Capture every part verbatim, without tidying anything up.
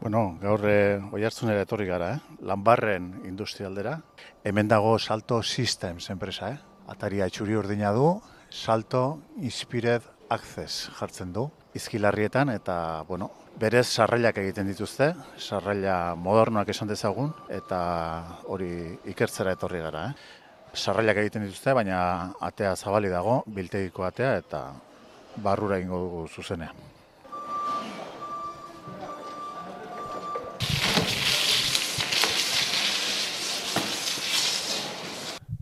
Bueno, gaur e, Oiartzunera etorri gara, eh? Lanbarren industrialdera. Hemen dago Salto Systems enpresa, eh? Ataria txuri urdina du, Salto Inspired Access jartzen du, izkilarrietan, eta, bueno, berez sarrailak egiten dituzte, sarraila modernoak esan dezagun, eta hori ikertzera etorri gara, eh? Sarrailak egiten dituzte, baina atea zabali dago, biltegiko atea, eta barrura ingo dugu zuzenean.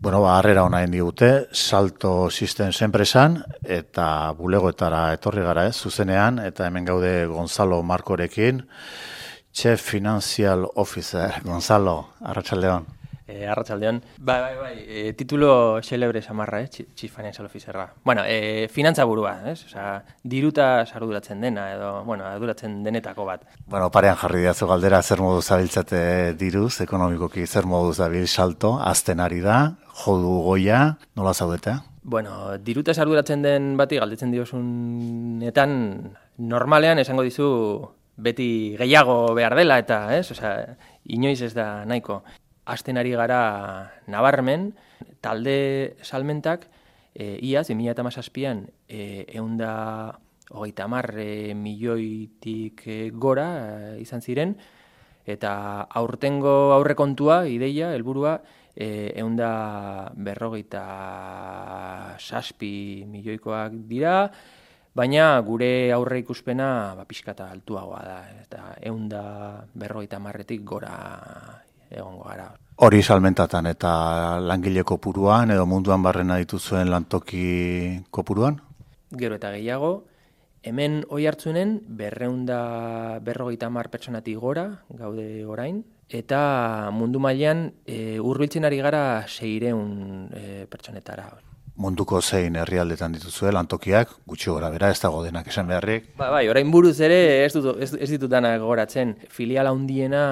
Bueno, ba, harrera ona egin digute, Salto Systems enpresan, eta bulegoetara etorri gara, ez, zuzenean, eta hemen gaude Gonzalo Markorekin, Chief Financial Officer. Gonzalo, arratsaldeon. Eh, arratsaldeon. Bai, bai, bai, e, titulo xelebre samarra, eh, Chief Financial Officerra. Bueno, e, finantza burua, ez? Osea, diruta arduratzen dena, edo, bueno, arduratzen denetako bat. Bueno, parean jarri diazu galdera, zer moduz zabiltzate diruz, ekonomikoki zer moduz dabil Salto, azten ari da, jodu goia, nola zaudete? Bueno, diruta arduratzen den bati galdetzen diozunetan, normalean esango dizu beti gehiago behar dela, eta, ez? Osea, inoiz ez da nahiko. Azten ari gara nabarmen, talde salmentak, e, iaz, bi mila hamazazpian, e, eunda hogeita hamar e, milioitik e, gora e, izan ziren, eta aurtengo aurrekontua, ideia, helburua, e, eunda berrogeita saspi milioikoak dira, baina gure aurre ikuspena ba, pixkata altuagoa da, eta eunda berrogeita hamarretik gora egongo gara. Hori salmentatan eta langile kopuruan edo munduan barrena dituzuen lantoki kopuruan? Gero eta gehiago, hemen Oiartzunen berreunda berrogeita hamar pertsonatik gora, gaude orain, eta mundu mailan e, hurbiltzen ari gara seiehun e, pertsonetara. Munduko zein herrialdetan dituzue lantokiak, gutxi gora bera, ez dago denak esan beharrik. Ba, bai, orain buruz ere ez, dut, ez, ez ditudanak goratzen. Filial handiena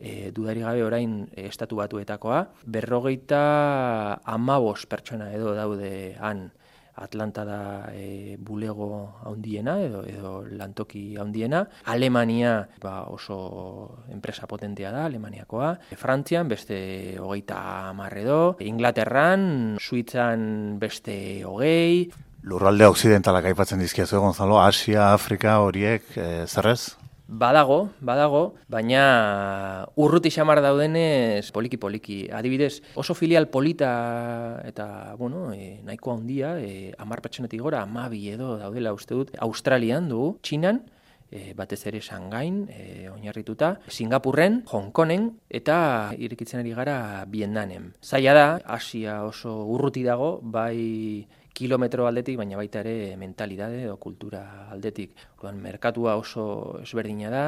E, dudari gabe orain e, estatu batuetakoa, berrogeita amabos pertsona edo daude han. Atlanta da e, bulego handiena edo, edo lantoki handiena. Alemania ba, oso enpresa potentea da, Alemaniakoa. Frantzian beste hogeita hamar edo. Inglaterran, Suitzan beste hogei. Lurralde occidentalak aipatzen dizkiazu, Gonzalo, Asia, Afrika horiek, e, zerrez? Badago, badago, baina urruti xamar daudenez poliki-poliki. Adibidez, oso filial polita eta, bueno, e, nahiko handia, e, hamar pertsonetik gora, hamabi edo daudela uste dut, Australian dugu, Txinan, e, batez ere Shanghaian, e, oinarrituta, Singapurren, Hong Kongen, eta irekitzen ari gara Vietnamen. Zaila da, Asia oso urruti dago, bai kilometro aldetik, baina baita ere mentalidade edo kultura aldetik. Orduan, merkatua oso ezberdina da,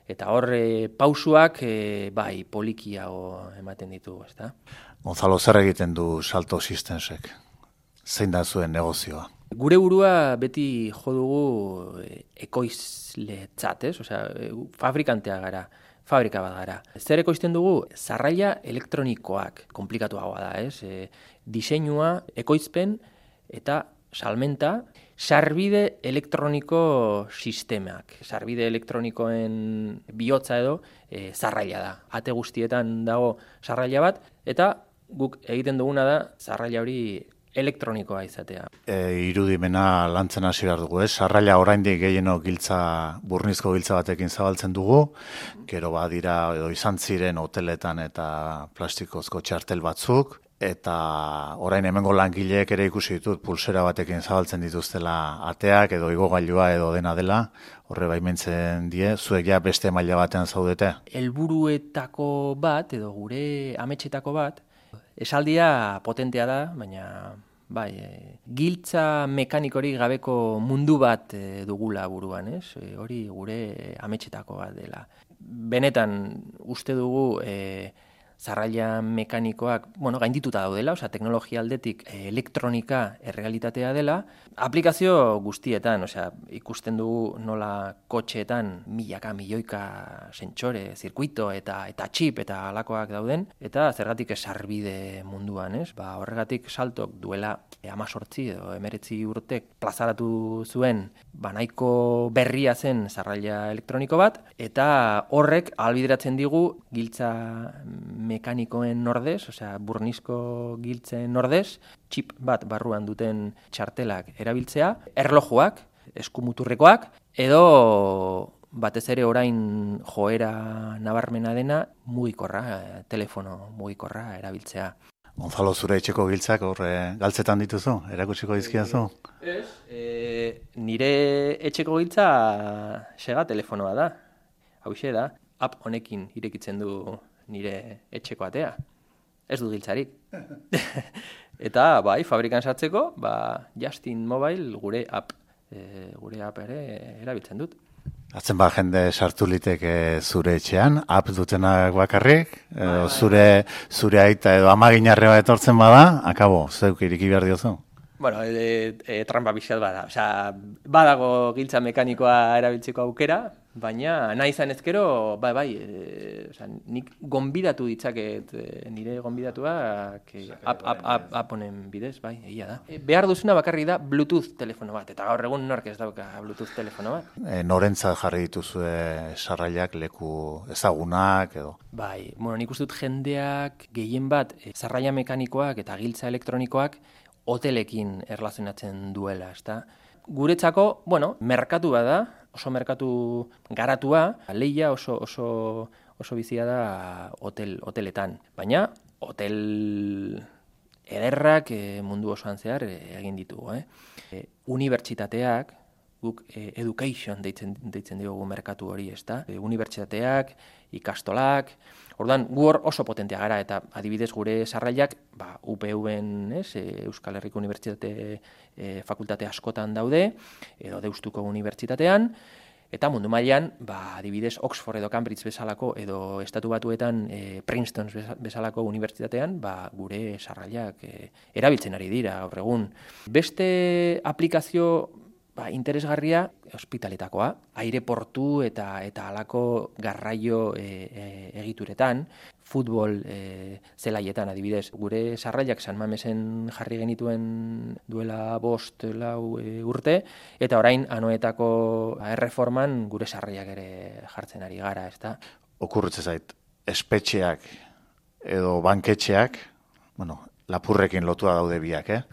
eta horre pausuak e, bai polikiago ematen ditugu, ezta? Gonzalo, zer egiten du Salto Systemsek? Zein da zuen negozioa? Gure burua beti jo dugu e, ekoizletzat, ez? Osea, e, fabrikantea gara. Fabrika bat gara. Zer ekoizten dugu? Sarraila elektronikoak, komplikatuagoa da, ez? E, diseinua, ekoizpen, eta salmenta, sarbide elektroniko sistemak. Sarbide elektronikoen bihotza edo e, sarraila da. Ate guztietan dago sarraila bat, eta guk egiten duguna da sarraila hori elektronikoa izatea. E, irudimena lantzen hasi behar dugu, ez? Sarraila oraindik gehieno giltza, burnizko giltza batekin zabaltzen dugu, gero badira edo izan ziren hoteletan eta plastikozko txartel batzuk, eta orain hemengo langileek ere ikusi ditut pulsera batekin zabaltzen dituztela ateak edo igogailua edo dena dela, horre baimentzen die, zuek ja beste maila batean zaudete? Helburuetako bat edo gure ametsetako bat, esaldia potentea da, baina bai, e, giltza mekanikori gabeko mundu bat e, dugula buruan, ez? E, hori gure ametsetako bat dela. Benetan uste dugu e, zarraila mekanikoak, bueno, gaindituta daudela, osea, teknologia aldetik elektronika errealitatea dela, aplikazio guztietan, osea, ikusten dugu nola kotxeetan milaka, milioika sentsore, zirkuito eta eta txip eta halakoak dauden, eta zergatik sarbide munduan, ez? Ba, horregatik Saltok duela hemezortzi edo hemeretzi urtek plazaratu zuen ba nahiko berria zen zarraila elektroniko bat, eta horrek ahalbideratzen digu giltza mekanikoen ordez, osea, burnizko giltzen ordez, txip bat barruan duten txartelak erabiltzea, erlojuak, eskumuturrekoak, edo batez ere orain joera nabarmena dena mugikorra, telefono mugikorra erabiltzea. Gonzalo, zure etxeko giltzak hor galtzetan dituzu? Erakutsiko dizkiazu? Ez, e, nire etxeko giltza sega telefonoa da. Hauxe da, app honekin irekitzen du nire etxeko atea. Ez du giltzarik. Eta bai, fabrikan sartzeko, ba, Justin Mobile gure app, e, gure app ere erabiltzen dut. Atzen ba jende sartu liteke zure etxean, app dutenak bakarrik, edo zure, zure aita edo amaginarre bat etortzen bada, akabo, zeuk iriki behar diozu? Bueno, e, e, trampa pixat bada. Osea, badago giltza mekanikoa erabiltzeko aukera, baina nahi izan ezkero, bai, bai, e, osea, nik gonbidatu ditzaket e, nire gonbidatuak e, app, app, app, app honen bidez, bai, egia da. E, behar duzuna bakarri da Bluetooth telefono bat, eta gaur egun nork ez dauka Bluetooth telefono bat. E, norentzat jarri dituzue sarrailak leku ezagunak edo? Bai, bueno, nik uste dut jendeak gehien bat e, zarraila mekanikoak eta giltza elektronikoak hotelekin erlazionatzen duela, ezta? Guretzako, bueno, merkatu bada, oso merkatu garatua, lehia oso oso oso bizia da hotel hoteletan, baina hotel ederrak e, mundu osoan zehar e, egin ditugu, eh? E, unibertsitateak, guk e, education deitzen deitzen diogu merkatu hori, ezta? E, unibertsitateak, ikastolak, orduan gu hor oso potentea gara, eta adibidez gure sarrailak, ba, U P V-en, ez, Euskal Herriko Unibertsitate e, fakultate askotan daude, edo Deustuko Unibertsitatean, eta mundu mailan, ba, adibidez Oxford edo Cambridge bezalako, edo Estatu Batuetan e, Princeton bezalako unibertsitatean, ba, gure sarrailak e, erabiltzen ari dira gaur egun. Beste aplikazio ba, interesgarria ospitaletakoa, aireportu eta eta halako garraio e, e, egituretan, futbol e, zelaietan adibidez. Gure sarrailak San Mamesen jarri genituen duela bost lau e, urte, eta orain anoetako erreforman gure sarrailak ere jartzen ari gara, ezta? Okurritze zait, espetxeak edo banketxeak, bueno, lapurrekin lotua daude biak, eh?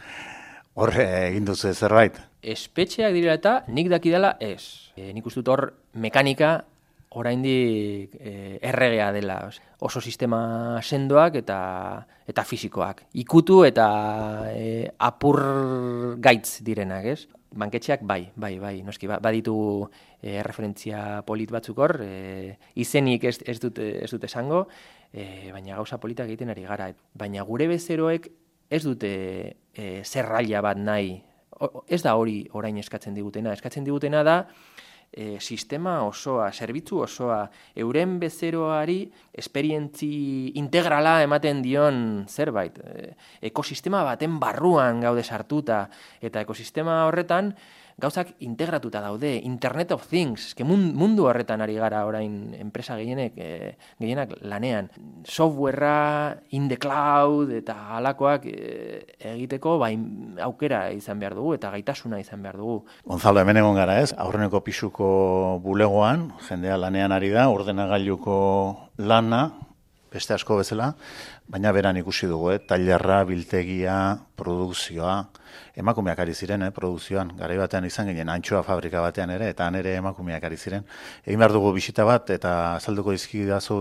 Horre egin duzu zerbait? Espetxeak direla eta nik dakidala ez. E, nik uste dut hor mekanika oraindik e, erregea dela. Oso sistema sendoak eta eta fisikoak. Ikutu eta e, apur gaitz direnak, ez? Banketxeak bai, bai, bai, noski, baditu e, referentzia polit batzuk hor, e, izenik ez, ez, dut, ez dut esango, e, baina gauza politak egiten ari gara. Baina gure bezeroek ez dute e, zerraila bat nahi. O, ez da hori orain eskatzen digutena. Eskatzen digutena da e, sistema osoa, zerbitzu osoa, euren bezeroari esperientzi integrala ematen dion zerbait. E, ekosistema baten barruan gaude sartuta, eta ekosistema horretan gauzak integratuta daude, Internet of Things, que mundu horretan ari gara orain enpresa gehienek, e, gehienak lanean. Softwarea, in the cloud, eta halakoak e, egiteko bai, aukera izan behar dugu, eta gaitasuna izan behar dugu. Gonzalo, hemen egon gara ez, aurreneko pisuko bulegoan, jendea lanean ari da, ordenagailuko lana, beste asko bezala, baina beran ikusi dugu, eh? Tailerra, biltegia, produkzioa, emakumeak ari ziren, eh? Produkzioan, garai batean izan ginen, antxoa fabrika batean ere, eta han ere emakumeak ari ziren. Egin behar dugu bisita bat, eta azalduko dizkidazu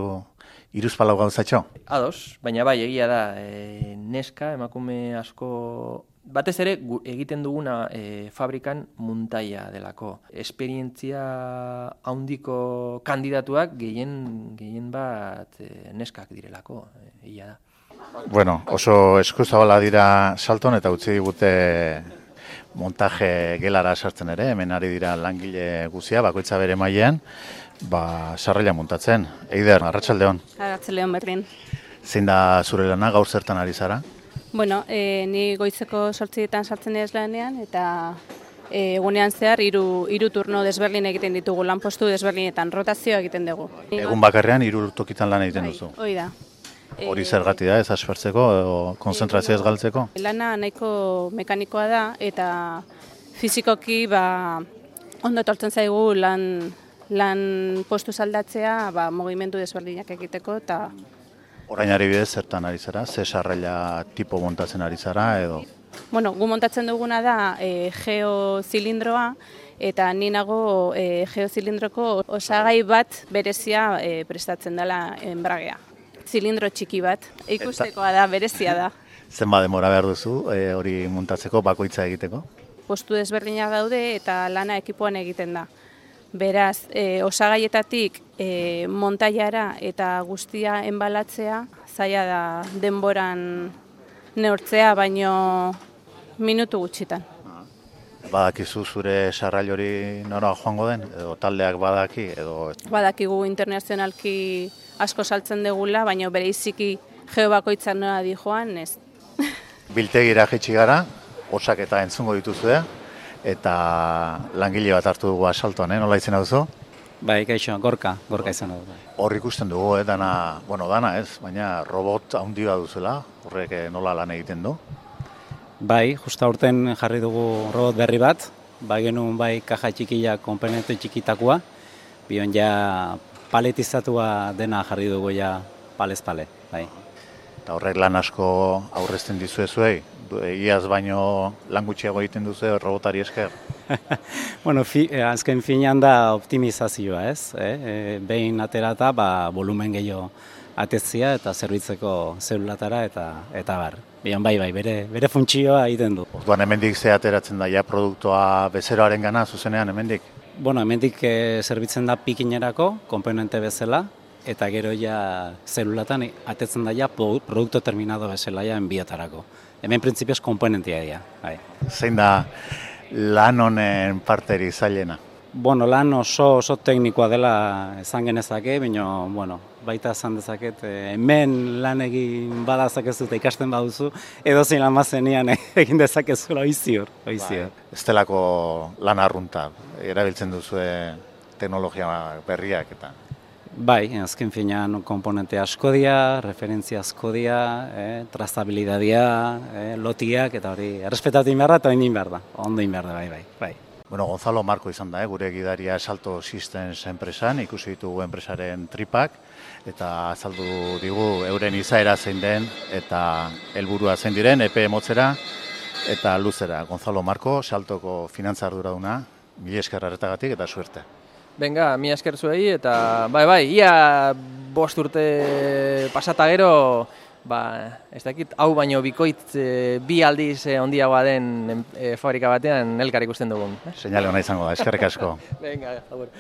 hiruzpalau gauzatxo? Ados, baina bai, egia da, e, neska, emakume asko, batez ere gu, egiten duguna e, fabrikan muntaia delako. Esperientzia handiko kandidatuak gehien, gehien bat e, neskak direlako, e, egia da. Bueno, oso eskuzabala dira Salton, eta utzi digute montaje gelara sartzen ere, hemen ari dira langile guzia, bakoitza bere mailean, ba, sarraila montatzen. Eider, arratsaldeon. Arratsaldeon berdin. Zein da zure lana, gaur zertan ari zara? Bueno, e, ni goizeko sortzietan sartzen ez lanean, eta e, egunean zehar hiru hiru turno desberdin egiten ditugu, lanpostu desberdinetan, rotazioa egiten dugu. Egun bakarrean hiru tokitan lan egiten duzu. Hoi da. Hori zergatik da, ez aspertzeko edo konzentrazioa ez galtzeko? Lana nahiko mekanikoa da, eta fizikoki ba, ondo etortzen zaigu lan, lan postu aldatzea ba, mugimendu desberdinak egiteko, eta Orain ari bidez zertan ari zara? Ze sarraila tipo montatzen ari zara edo? Bueno, gu montatzen duguna da e, geozilindroa, eta ni nago e, geozilindroko osagai bat berezia e, prestatzen dela enbragea. Zilindro txiki bat, ikustekoa da, berezia da. Zenba denbora behar duzu e, hori montatzeko, bakoitza egiteko? Postu desberdinak daude eta lana ekipoan egiten da. Beraz, e, osagaietatik e, montaiara eta guztia enbalatzea, zaila da denboran neurtzea, baino minutu gutxitan. Badakizu zure sarrail hori nora joango den, edo taldeak badaki, edo... Badakigu internazionalki asko saltzen degula, baina bereiziki geo bakoitzak nora di joan, ez. Biltegira jaitsi gara, osak eta entzungo dituzue, eta langile bat hartu dugu asaltoan, eh? Nola izena duzu? Bai, kaixo, gorka, gorka izan dugu. Hor ikusten dugu, eh? dana, bueno, dana ez, baina robot handi bat duzuela, horrek nola lan egiten du? Bai, justa urten jarri dugu robot berri bat, bai genuen bai kaja txikila konponente txikitakoa, bion ja paletizatua dena jarri dugu ja palez pale, bai. Eta horrek lan asko aurrezten dizuezuei, iaz baino lan gutxiago egiten duzu robotari esker? Bueno, fi, azken finean da optimizazioa, ez? Eh? E, behin aterata, ba, volumen gehiago atetzia eta zerbitzeko zelulatara eta eta bar. Bion bai bai, bere, bere funtzioa egiten du. Orduan hemendik ze ateratzen da, ja produktua bezeroaren gana, zuzenean hemendik? Bueno, hemendik e, zerbitzen da pikinerako, komponente bezala, eta gero ja zelulatan atetzen da ja produktu terminado bezala ja enbiotarako. Hemen printzipioz komponentia dira. Bai. Zein da lan honen parteri zailena? Bueno, lan oso oso teknikoa dela esan genezake, baina bueno, baita esan dezaket, hemen lan egin badazakezu eta ikasten baduzu, edo zein lan bazenian egin dezakezula oizior. oizior. Bai. Ez delako lan arrunta, erabiltzen duzue teknologia berriak eta... Bai, azken finean komponente asko dira, referentzia asko dira, eh, trazabilidadia, eh, lotiak, eta hori errespetatu inberda eta oindin behar da, ondo inberda, bai, bai, bai. Bueno, Gonzalo Marko izan da, eh, gure gidaria Salto Systems enpresan, ikusi ditugu enpresaren tripak, eta azaldu digu euren izaera zein den, eta helburua zein diren, epe motzera, eta luzera. Gonzalo Marko, Saltoko finantza arduraduna, mila esker arretagatik eta suerte. Benga, mi esker zuei, eta bai, bai, ia bost urte pasata gero, ba, ez dakit, hau baino bikoitz e, bi aldiz e, ondiagoa den e, fabrika batean elkar ikusten dugun. Seinale ona izango da, eskerrik asko. Venga, agur.